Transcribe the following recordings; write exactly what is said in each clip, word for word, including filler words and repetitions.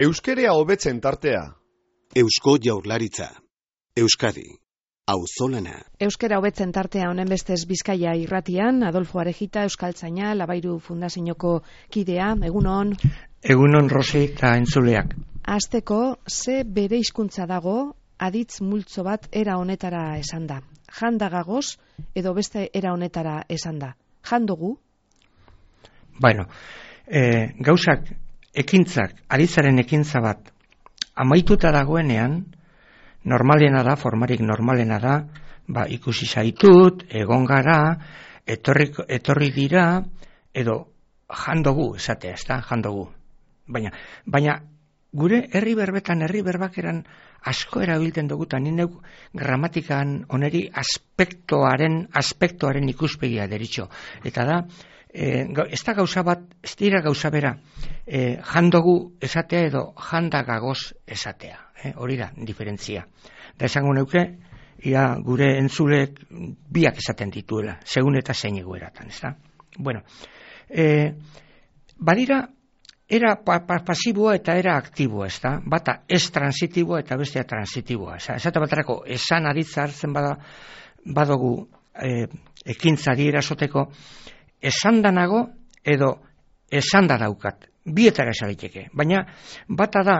Euskerea hobetzen tartea. Eusko Jaurlaritza. Euskadi. Auzolana. Euskera hobetzen tartea honen bestez Bizkaia irratian, Adolfo Arejita, Euskaltzaina, Labairu Fundazioko kidea, egunon. Egunon Rosi eta entzuleak. Hasteko, ze bere hizkuntza dago aditz multzo bat era honetara esan da. Jandagagoz edo beste era honetara esan da. Jandugu? Bueno, e, gauzak, ekintzak, aditzaren ekintza bat amaituta dagoenean, normalena da, formarik normalena da, ba, ikusi zaitut, egon gara, etorri, etorri dira, edo jandogu, esatea, ez da, jandogu. Baina, baina gure herri berbetan, herri berbakeran asko erabiltzen dugu, eta ni neuk gramatikan oneri aspektoaren, aspektoaren ikuspegia deritxo. Eta da, e, ez da gauza bat, ez dira gauza bera, e, jandogu esatea edo jandagagoz esatea. Eh, hori da, diferentzia. Da esango neuke, ia gure entzulek biak esaten dituela, segun eta zein egoeratan, ez da? Bueno, e, badira, era pa, pa, pasiboa eta era aktiboa, ez da? Bata ez transitiboa eta bestea transitiboa. Esate baterako, esan aditza hartzen bada, badugu e, ekintza dierasoteko, esan danago edo esan da daukat. Bietara esaliteke. Baina, bata da,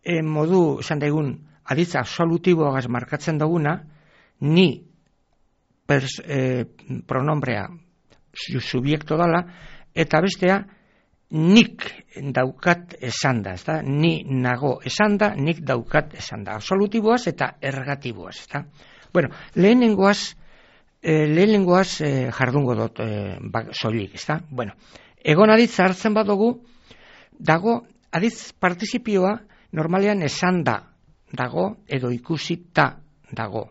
E, modu, esan daigun, aditza absolutiboagaz markatzen duguna, ni pers, e, pronombrea subiekto dala, eta bestea nik daukat esan da, ezta? Ni nago esan da, nik daukat esan da. Absolutiboaz eta ergatiboaz, ezta? Bueno, lehenengoaz, e, lehenengoaz e, jardungo dut e, bak, soilik, ezta? Bueno, egon aditza hartzen badugu, dago aditz partizipioa normalean esan da dago edo ikusita dago.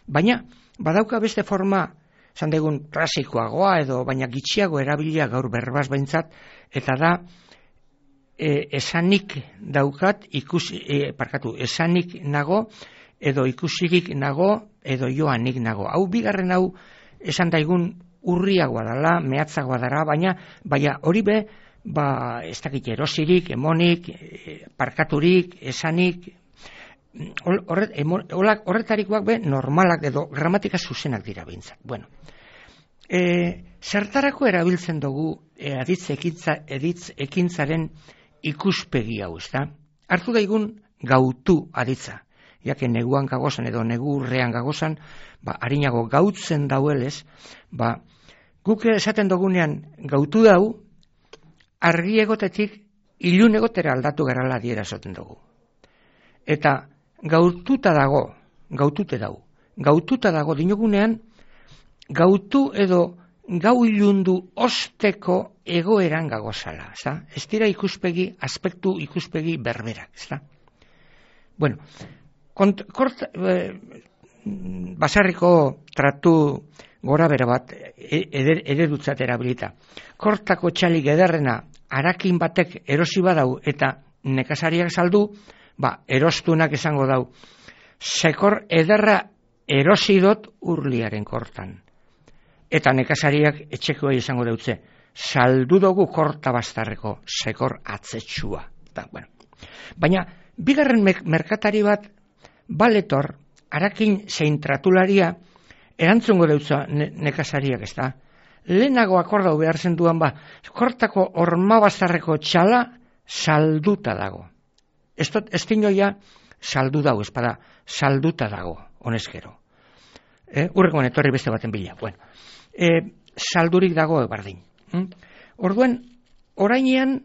Baina, badauka beste forma, esan degun klasikoagoa edo baina gitxiago erabilia gaur berbaz behintzat, eta da e, esanik daukat, ikusi, e, parkatu, esanik nago edo ikusirik nago edo joanik nago. Hau bigarren hau esan daigun urriagoa dela, mehatzagoa dara, baina baina hori be, ba, ez dakit erosirik, emonik, parkaturik, esanik, horret, horretarikoak be normalak edo gramatika zuzenak dira behintzat. Bueno, e, zertarako erabiltzen dugu e, aditz, ekintza, editz ekintzaren ikuspegi hau, ez da? Hartu daigun gautu aditza, jake neguan gagozan edo negurrean gagozan, ba, harinago gautzen dauelez, ba, guk esaten dugunean gautu dau, argi egotetik ilun egotera aldatu garala adierazoten dugu. Eta gaututa dago, gautute dago, gaututa dago dinogunean, gautu edo gau ilundu osteko egoeran gagozala, ez da? Ez dira ikuspegi, aspektu ikuspegi berberak, ez da? Bueno, kont, kort, eh, basarriko tratu gora bera bat eder, eredutzat erabilita. Kortako txalik ederrena harakin batek erosi badau eta nekazariak saldu, ba, erostunak esango dau. Sekor ederra erosi dot urliaren kortan. Eta nekazariak etxekoa izango deutze. Saldu dugu korta bastarreko sekor atzetsua. Da, bueno. Baina, bigarren merkatari bat baletor, harakin zein tratularia, erantzungo deutza ne, nekazariak, ez da? Lehenago akordau behar zenduan ba, kortako ormabazarreko txala salduta dago. Ez, ez dinoia saldu dago, ez bada, salduta dago, honezkero. E, urreko etorri beste baten bila. Bueno, e, saldurik dago bardin. Hm? Orduan, orainean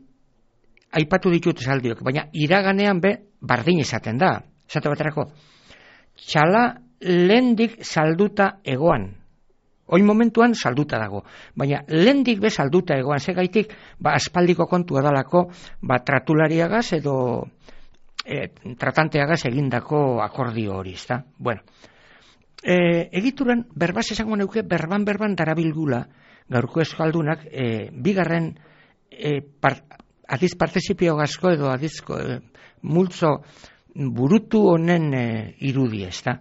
aipatu ditut saldiok, baina iraganean be bardin esaten da. Esate baterako, txala lehendik salduta egoan. Oin momentuan salduta dago. Baina lehendik be salduta egoan. Zegaitik, ba, aspaldiko kontua dalako, ba, tratulariagaz edo e, tratanteagaz egindako akordio hori, ezta? Bueno, e, egituran, berbaz esango neuke, berban-berban darabilgula, gaurko eskaldunak, e, bigarren e, par, adiz partizipio gazko edo adizko e, multzo burutu honen e, irudi, ezta?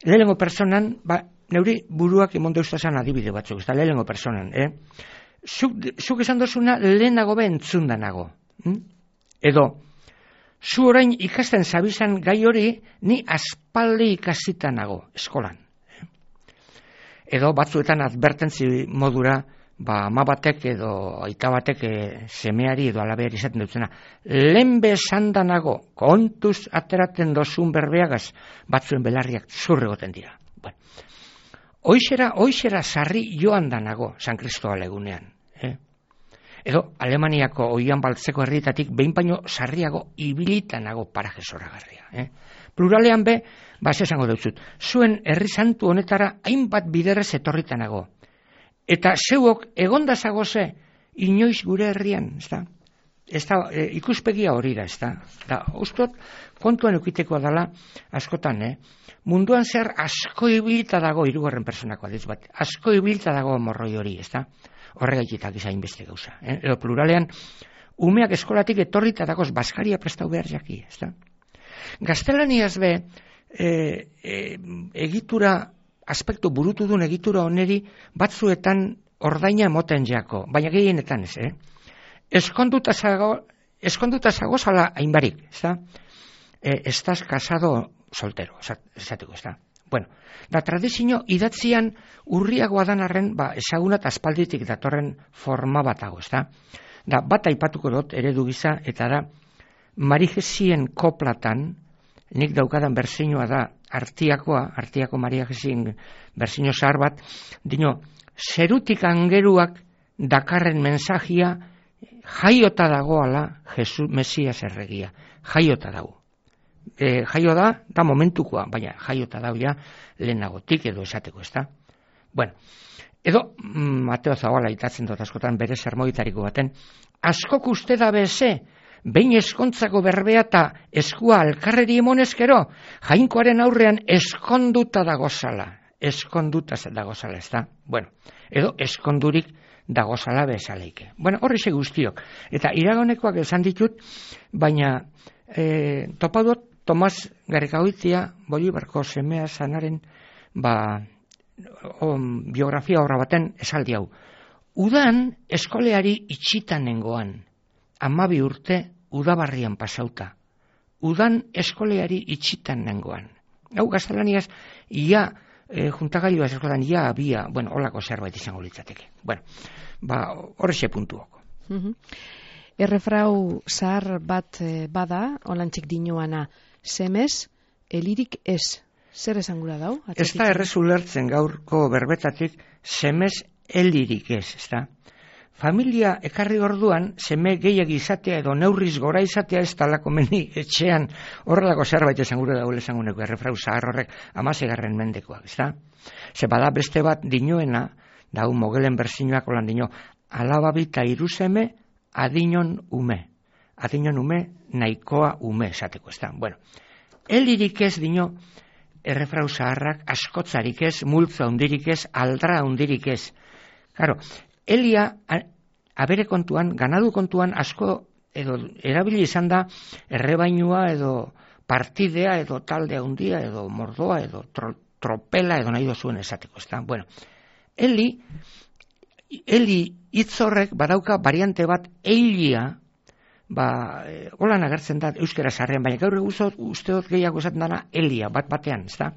Lehenengo personan, ba, neuri buruak emondo ustazan adibide batzuk, ez da, lehenengo personan, eh? Zuk, zuk esan dozuna lehenago be entzundanago. Hm? Edo, zu orain ikasten zabizan gai hori, ni aspaldi ikasita nago eskolan. Edo batzuetan advertentzi modura, ba, ama batek edo aita batek e, semeari edo alabeari izaten dutzena. Lehen bezanda nago, kontuz ateraten dozun berbeagaz, batzuen belarriak zurregoten dira. Bueno, hoixera, hoixera sarri joan da nago, San Kristobal egunean. Eh? Edo Alemaniako oian baltzeko herrietatik behin baino sarriago ibilita nago paraje zoragarria. Eh? Pluralean be, ba, esango dut, zuen herri santu honetara hainbat biderrez etorrita nago. Eta zeuok egondazagoze inoiz gure herrian, ez da? Ez da, e, ikuspegia hori da, ez da? Da, ustot, kontuan eukiteko dela, askotan, eh? Munduan zer asko ibilita dago, hirugarren personako adiz bat, asko ibilita dago morroi hori, ez da? Horregaititak izain beste gauza. Eh? Edo pluralean, umeak eskolatik etorrita dagoz, baskaria prestau behar jaki, ez da? Gaztelaniaz be, e, e, egitura, aspektu burutu duen egitura oneri, batzuetan ordaina moten jako, baina gehienetan ez, eh? Eskonduta zago, eskonduta zago zala hainbarik, ez da? E, estaz casado soltero, esateko, ez da? Bueno, da tradizio idatzian urriagoa dan arren, ba, ezagunat aspalditik datorren forma batago, ez da? Da, bat aipatuko dut eredu gisa, eta da, Marijesien koplatan, nik daukadan berzinoa da, artiakoa, artiako Maria Jesien berzino zahar bat, dino, zerutik angeruak dakarren mensajia, jaiota dagoala Jesus Mesias erregia, jaiota dago. E, jaio da, da momentukoa, baina jaiota dago ja lehenagotik edo esateko, ez da? Bueno, edo Mateo Zabala itatzen dut askotan bere sermoitariko baten, askok uste da beze, behin eskontzako berbea eta eskua alkarreri emonezkero, jainkoaren aurrean eskonduta dagozala, eskonduta dagozala, ez da? Bueno, edo eskondurik dagozala bezaleike. Bueno, horri ze guztiok. Eta iragonekoak esan ditut, baina e, topadot Tomas Garrikaoitia, Bolibarko semea zanaren, ba, on, biografia horra baten esaldi hau. Udan eskoleari itxitan nengoan, amabi urte udabarrian pasauta. Udan eskoleari itxitan nengoan. Hau gaztelaniaz, ia, e, juntagailua eskolan, ia abia, bueno, holako zerbait izango litzateke. Bueno, ba, horrexe puntuoko. Mm-hmm. Errefrau zahar bat bada, olantxik dinoana, semez, elirik ez. Zer esangura dau? Ez da errez ulertzen gaurko berbetatik, semez, elirik ez, ez da? Familia ekarri orduan, seme gehiagi izatea edo neurriz gora izatea ez talako meni etxean horrelako zerbait esangura daule esanguneko errefrau zahar horrek amasegarren mendekoak, ez da? Ze bada beste bat dinoena, dau mogelen berzinoak olan dino, alababita iruzeme, adinon ume. Adinon ume, nahikoa ume esateko, ez da? Bueno, elirik ez dino, errefrau zaharrak, askotzarik ez, multza hundirik ez, aldra hundirik ez. Claro, elia, abere kontuan, ganadu kontuan, asko, edo, erabili izan da, errebainua, edo partidea, edo taldea hundia, edo mordoa, edo tro, tropela, edo nahi dozuen esateko, ez da? Bueno, eli, eli hitzorrek badauka variante bat eilia, ba, e, holan agertzen da euskera sarrean, baina gaur eguzot usteot gehiago esaten dana elia, bat batean, ez da?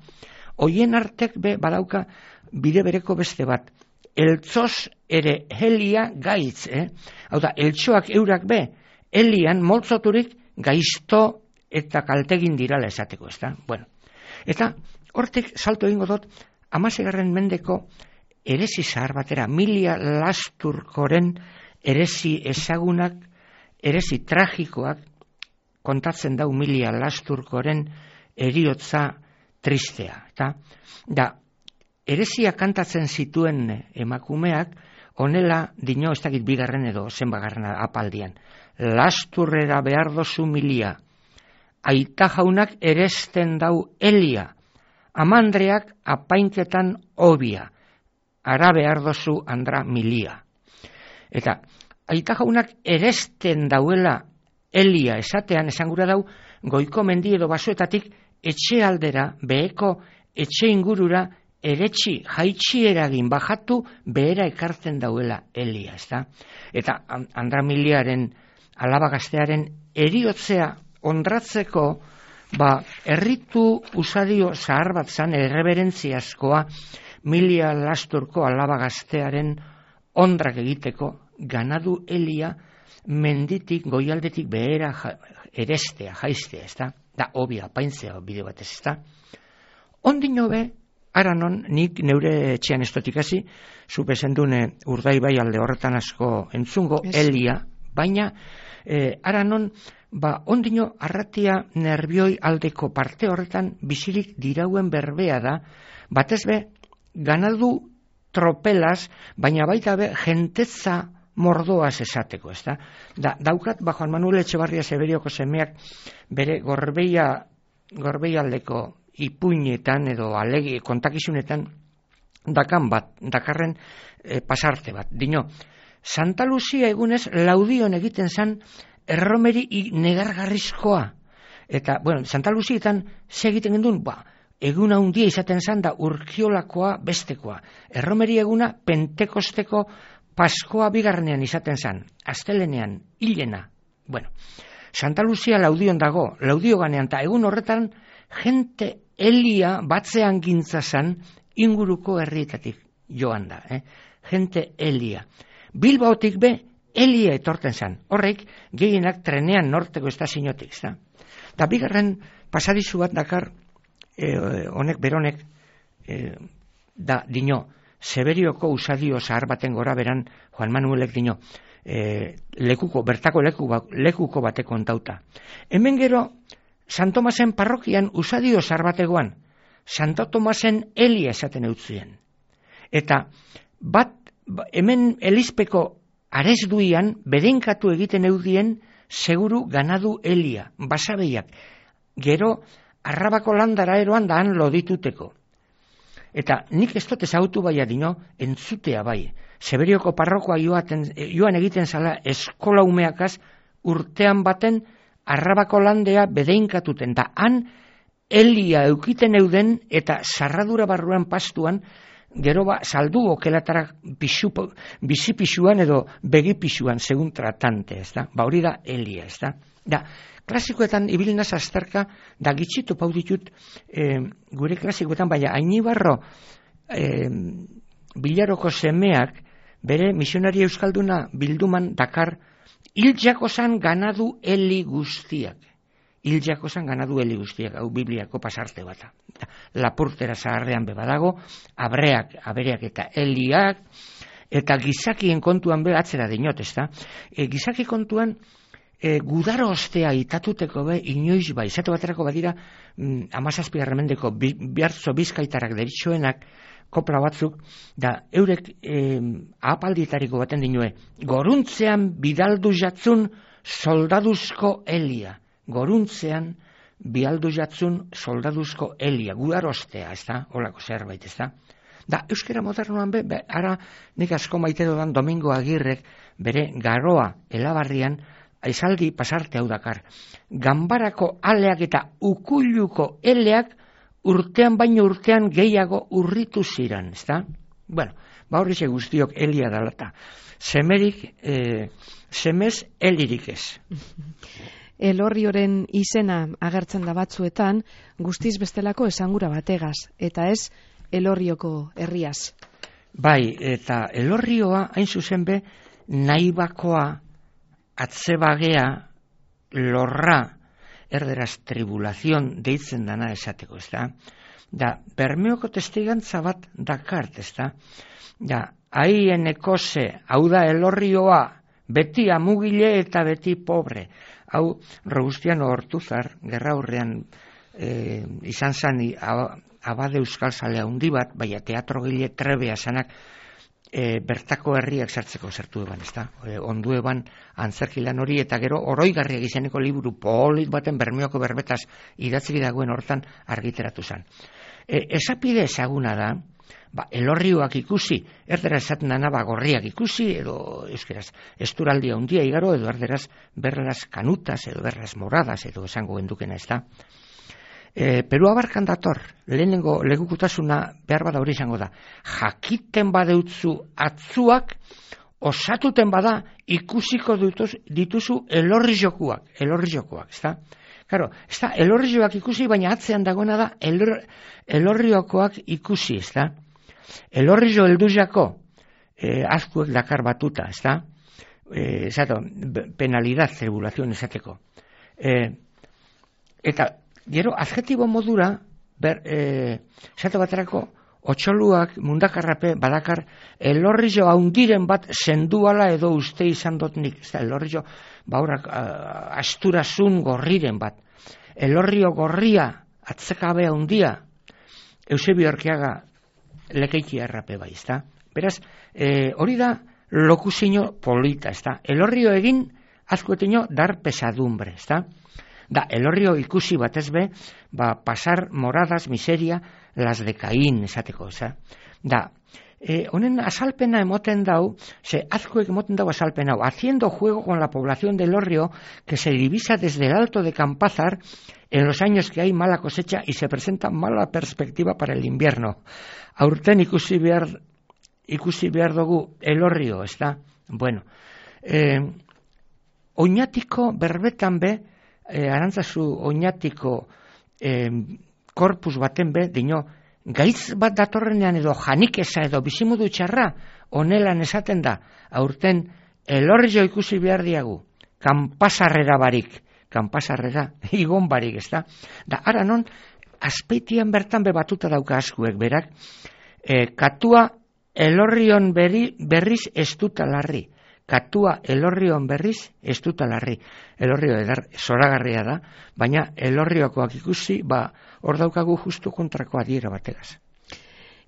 Hoien artek be badauka bide bereko beste bat, eltzoz ere helia gaitz, eh? Hau da, eltsoak eurak be, elian moltzoturik gaizto eta kaltegin dirala esateko, ez da? Bueno, eta hortik salto egingo dut, amasegarren mendeko eresi zahar batera, Milia Lasturkoren eresi ezagunak, eresi tragikoak kontatzen dau Milia Lasturkoren eriotza tristea. Eta, da, eresia kantatzen zituen emakumeak, honela dino ez dakit bigarren edo zenbagarren apaldian. Lasturrera behar dozu Milia, aita jaunak eresten dau elia, amandreak apainketan obia, ara behar dozu andra Milia. Eta, aita jaunak eresten dauela elia esatean esangura dau, goiko mendi edo basoetatik etxe aldera, beheko etxe ingurura, eretxi, jaitxi eragin bajatu, behera ekartzen dauela elia, ez da? Eta Andra Miliaren alaba gaztearen eriotzea ondratzeko, ba, erritu usadio zahar bat zan, erreberentziazkoa, Milia Lasturko alaba gaztearen ondrak egiteko, ganadu elia menditik, goialdetik behera ja, erestea, jaistea, ez da? Da, obia, paintzea bide batez, ez da? Ondino be, aranon, nik neure etxean estotik hasi, zupe zendune urdai bai alde horretan asko entzungo, yes. Elia, baina, eh, aranon, ba, ondino arratia nervioi aldeko parte horretan bizirik dirauen berbea da, batez be, ganadu tropelaz, baina baita be, jentetza mordoaz esateko, ez da? Da, daukat, ba, Juan Manuel Etxebarria Severioko semeak bere gorbeia, gorbeialdeko ipuinetan edo alegi, kontakizunetan dakan bat, dakarren e, pasarte bat. Dino, Santa Lucia egunez laudion egiten zan erromeri negargarrizkoa. Eta, bueno, Santa Lucietan ze egiten gendun, ba, eguna handia izaten zan da urkiolakoa bestekoa. Erromeri eguna pentekosteko Paskoa bigarrenean izaten zan, astelenean, hilena. Bueno, Santa Lucia laudion dago, laudio ganean, eta egun horretan jente elia batzean gintza zan inguruko herrietatik joan da. Eh? Jente elia. Bilbaotik be, elia etorten zan. Horrek, gehienak trenean norteko estaziotik. Eta bigarren pasadizu bat dakar, eh, honek beronek, eh, da dino, Severioko usadio zahar baten gora beran Juan Manuelek dino, e, lekuko, bertako leku, lekuko bateko ontauta. Hemen gero, San Tomasen parrokian usadio zahar bategoan, Santo Tomasen elia esaten eutzien. Eta bat, hemen elizpeko aresduian, bedenkatu egiten eudien, seguru ganadu elia, basabeiak. Gero, Arrabako landara eroan daan lodituteko. Eta nik ez dut ezagutu bai adino, entzutea bai. Severioko parrokoa joaten, joan egiten zala eskola umeakaz urtean baten Arrabako landea bedeinkatuten. Da han elia eukiten euden eta sarradura barruan pastuan, gero ba saldu okelatara pisu, bizipisuan edo begipisuan segun tratante, ez da? Ba hori da elia, ez da? Da, klasikoetan ibilinaz azterka, da gitxitu pau ditut e, gure klasikoetan, baina Ainibarro e, Bilaroko semeak bere misionari euskalduna bilduman dakar hiltzako zan ganadu eli guztiak. Hiltzako zan ganadu eli guztiak, hau Bibliako pasarte bata. Lapurtera zaharrean bebadago, abreak, abereak eta eliak, eta gizakien kontuan be atzera dinot, ez da? E, gizaki kontuan, E, gudaro ostea itatuteko be, inoiz bai, zatu baterako badira, mm, amazazpi garramendeko bi, bihartzo bizkaitarak deritxoenak, kopla batzuk, da eurek e, ahapalditariko baten dinue, goruntzean bidaldu jatzun soldaduzko elia. Goruntzean bidaldu jatzun soldaduzko elia. Gudaro ostea, ez da? Olako zerbait, ez da? Da, euskera modernoan be, be ara nik asko maite dodan Domingo Agirrek bere garoa elabarrian, aizaldi pasarte hau dakar. Ganbarako aleak eta ukuluko eleak urtean baino urtean gehiago urritu ziran, ezta? Bueno, ba horri ze guztiok elia dalata. Semerik, eh, semez elirik ez. Elorrioren izena agertzen da batzuetan, guztiz bestelako esangura bategaz, eta ez Elorrioko herriaz. Bai, eta Elorrioa hain zuzen be, naibakoa, atzebagea, lorra, erderaz tribulazion deitzen dana esateko, ez da? Da, Bermeoko testigantza bat dakart, ez da? Da, haien ekose, hau da Elorrioa, beti amugile eta beti pobre. Hau, Robustiano Ortuzar, gerra horrean e, izan zan, abade euskal zalea handi bat, baina teatrogile trebea zanak, E, bertako herriak sartzeko zertu eban, ez da? E, ondu eban antzerkilan hori, eta gero oroigarriak izeneko liburu polit baten Bermeoko berbetaz idatziki dagoen hortan argiteratu zen. E, esapide ezaguna da, ba, Elorrioak ikusi, erdera esaten dana ba, gorriak ikusi, edo euskeraz esturaldia hundia igaro, edo erderaz berraz kanutas, edo berraz moradas, edo esango gendukena, ez da? E, Peru abarkan dator, lehenengo legukutasuna behar bada hori izango da. Jakiten badeutzu atzuak, osatuten bada ikusiko dituz, dituzu elorri jokuak, elorri jokuak, ezta? Karo, ez da, elorrioak ikusi, baina atzean dagoena da, elor, elorriokoak ikusi, ez da. Elorrio elduzako, eh, azkuek dakar batuta, ez da. Eh, zato, penalidad, tribulación, esateko. Eh, eta, gero, adjetibo modura, ber, eh, zato baterako, otxoluak mundakarrape badakar elorrio haundiren bat senduala edo uste izan dut nik. Ez da, elorrio baurak uh, asturazun gorriren bat. Elorrio gorria atzekabe haundia Eusebio Arkeaga lekeiti errape bai, ez da. Beraz, eh, hori da lokusino polita, ez da. Elorrio egin azkuetino dar pesadumbre, ez da. Da, elorrio ikusi batez be, ba, pasar moradas, miseria, las de Caín, esateko, eza. Da, eh, honen asalpena emoten dau, ze azkuek emoten dau asalpena hau, haciendo juego con la población de Elorrio, que se divisa desde el alto de Campázar, en los años que hay mala cosecha y se presenta mala perspectiva para el invierno. Aurten ikusi behar, ikusi behar dugu Elorrio, ez da? Bueno, eh, oinatiko berbetan be, Eh, arantzazu oinatiko eh, korpus baten be, dino, gaitz bat datorrenean edo janikesa edo bizimudu txarra, onelan esaten da, aurten elorrio ikusi behar diagu, kanpasarrera barik, kanpasarrera, igon barik, ez da? Da, ara non, azpeitian bertan be batuta dauka askuek, berak, eh, katua elorrion berri, berriz ez dut alarri. Katua elorrion berriz ez dut alarri. Elorrio edar zoragarria da, baina elorriokoak ikusi, ba, hor daukagu justu kontrako adiera bategaz.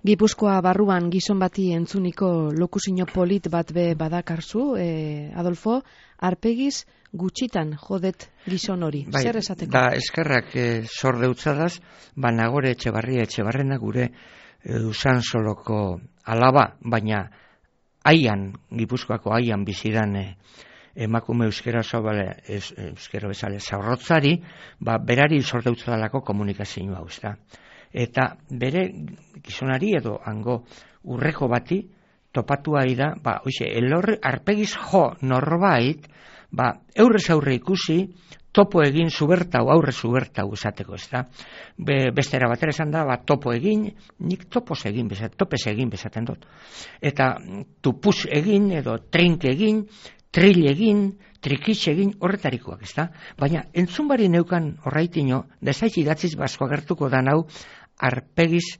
Gipuzkoa barruan gizon bati entzuniko lokusino polit bat be badakarzu, eh, Adolfo, arpegiz gutxitan jodet gizon hori. Bai, zer esateko? Da, eskerrak eh, sordeutzadas, ba, Nagore Etxebarria Etxebarrena gure eh, Usansoloko alaba, baina Aian, Gipuzkoako aian bizidan eh, emakume euskera sobale, es, euskera bezale zaurrotzari, ba, berari sorteutzadalako komunikazioa hau, ezta. Eta bere gizonari edo hango urreko bati topatu ari da, ba, oixe, elorri arpegiz jo norbait, ba, aurrez aurre ikusi, topo egin zubertau, aurre zubertau esateko, ezta. Be, bestera batera esan da, ba, topo egin, nik topos egin, bezat, topes egin bezaten dut. Eta tupus egin, edo trink egin, trill egin, trikitx egin, horretarikoak, ezta. Baina, entzunbari neukan horraitino, desaitz idatziz basko agertuko da nau, arpegiz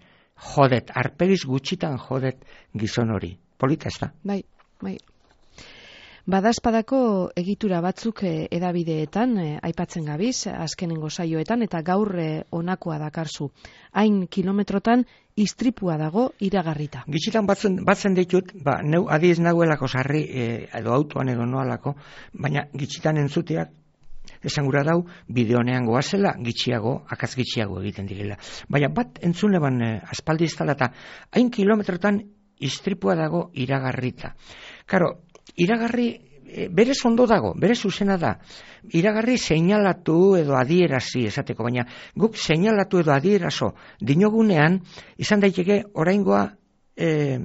jodet, arpegiz gutxitan jodet gizon hori. Polita, ezta? Bai, bai. Badazpadako egitura batzuk eh, edabideetan, eh, aipatzen gabiz, azkenengo saioetan, eta gaur eh, onakoa dakarzu. Hain kilometrotan istripua dago iragarrita. Gitxitan batzen, batzen ditut, ba, neu adiez nagoelako sarri, eh, edo autoan edo noalako, baina gitxitan entzuteak, esan gura dau, bideonean goazela, gitxiago, akaz gitxiago egiten direla. Baina bat entzune ban eh, aspaldi iztala eta hain kilometrotan istripua dago iragarrita. Karo, iragarri e, berez ondo dago, berez zuzena da. Iragarri seinalatu edo adierazi esateko, baina guk seinalatu edo adierazo dinogunean izan daiteke oraingoa e,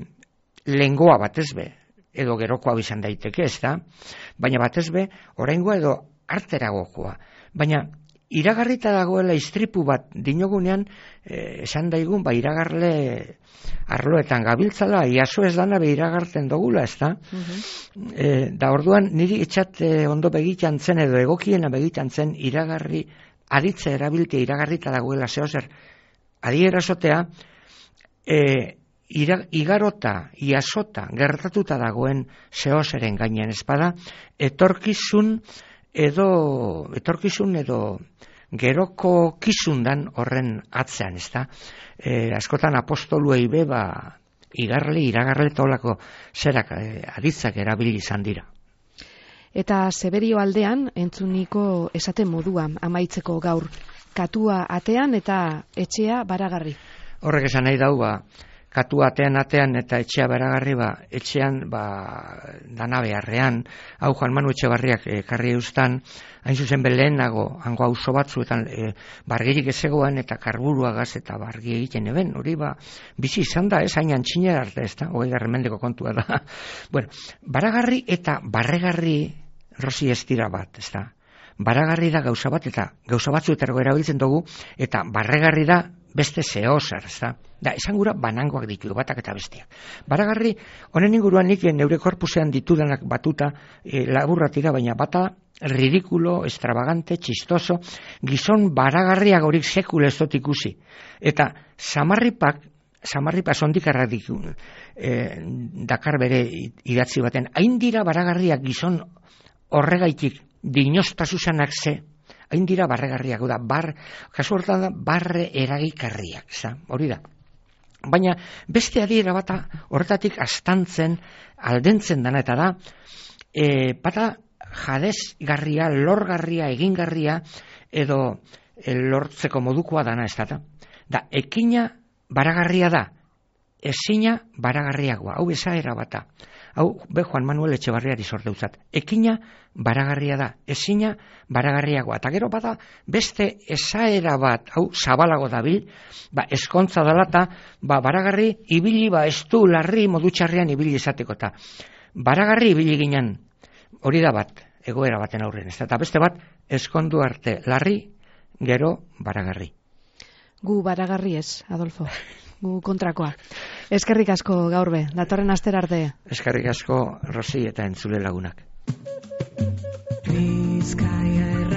lengoa batezbe, edo gerokoa izan daiteke, ez da? Baina batezbe oraingoa edo arteragokoa. Baina iragarrita dagoela istripu bat dinogunean eh, esan daigun, ba iragarle arloetan gabiltzala, iaso ez dana be iragarten dugula, ez da? Uh-huh. E, da orduan niri etxat e, ondo begitan zen edo egokiena begitan zen iragarri, aditze erabilte iragarrita dagoela zehozer adierazotea, e, ira, igarota, iasota, gertatuta dagoen zehozeren gainean espada, etorkizun edo, etorkizun edo geroko kizundan horren atzean, ez da? E, askotan apostoluei be, ba, igarle, iragarle tolako zerak e, aditzak erabili izan dira. Eta Seberio aldean, entzuniko esaten moduan amaitzeko gaur, katua atean eta etxea baragarri. Horrek esan nahi dau, ba, katua atean atean eta etxea baragarri, ba, etxean, ba, dana beharrean, hau Juan Manu Etxebarriak ekarri eustan, hain zuzen belenago, hango auzo batzuetan e, bargirik ezegoan eta karburuagaz eta bargi egiten eben, hori ba, bizi izan da, ez, hain antxinera arte, ez da, hogei garremendeko kontua da. Bueno, baragarri eta barregarri rosi ez dira bat, ez da. baragarri da gauza bat, eta gauza batzuetarako erabiltzen dugu, eta barregarri da beste zehozer, ez da? Da, esan gura banangoak ditu, batak eta bestiak. Baragarri, honen inguruan nik neure korpusean ditudanak batuta e, laburra tira, baina bata ridikulo, extravagante, txistoso, gizon baragarriak horik sekule ez dut ikusi. Eta samarripak, samarripa sondikarrak ditu, e, Dakar bere idatzi baten, hain dira baragarriak gizon horregaitik, dinostasusanak ze, hain dira barregarriak, da, bar, kasu horretan da, barre eragikarriak, za, hori da. Baina beste adiera bata horretatik astantzen, aldentzen dana, eta da, e, bata jadezgarria, lorgarria, egingarria, edo e, lortzeko modukoa dana ez da. Da, ekina baragarria da, ezina baragarriagoa, hau esaera bata. Hau, be Juan Manuel Etxebarriari sorteutzat. Ekina baragarria da, ezina baragarriagoa. Eta gero bada beste esaera bat, hau zabalago dabil, ba, eskontza dalata, ba, baragarri ibili, ba, estu larri modutxarrean ibili esateko. Ta baragarri ibili ginen, hori da bat, egoera baten aurren. Ez da, eta beste bat, eskondu arte larri, gero baragarri. Gu baragarri ez, Adolfo. Gu kontrakoa. Eskerrik asko gaur be, datorren astera arte. Eskerrik asko Rosi eta entzule lagunak. Bizkaia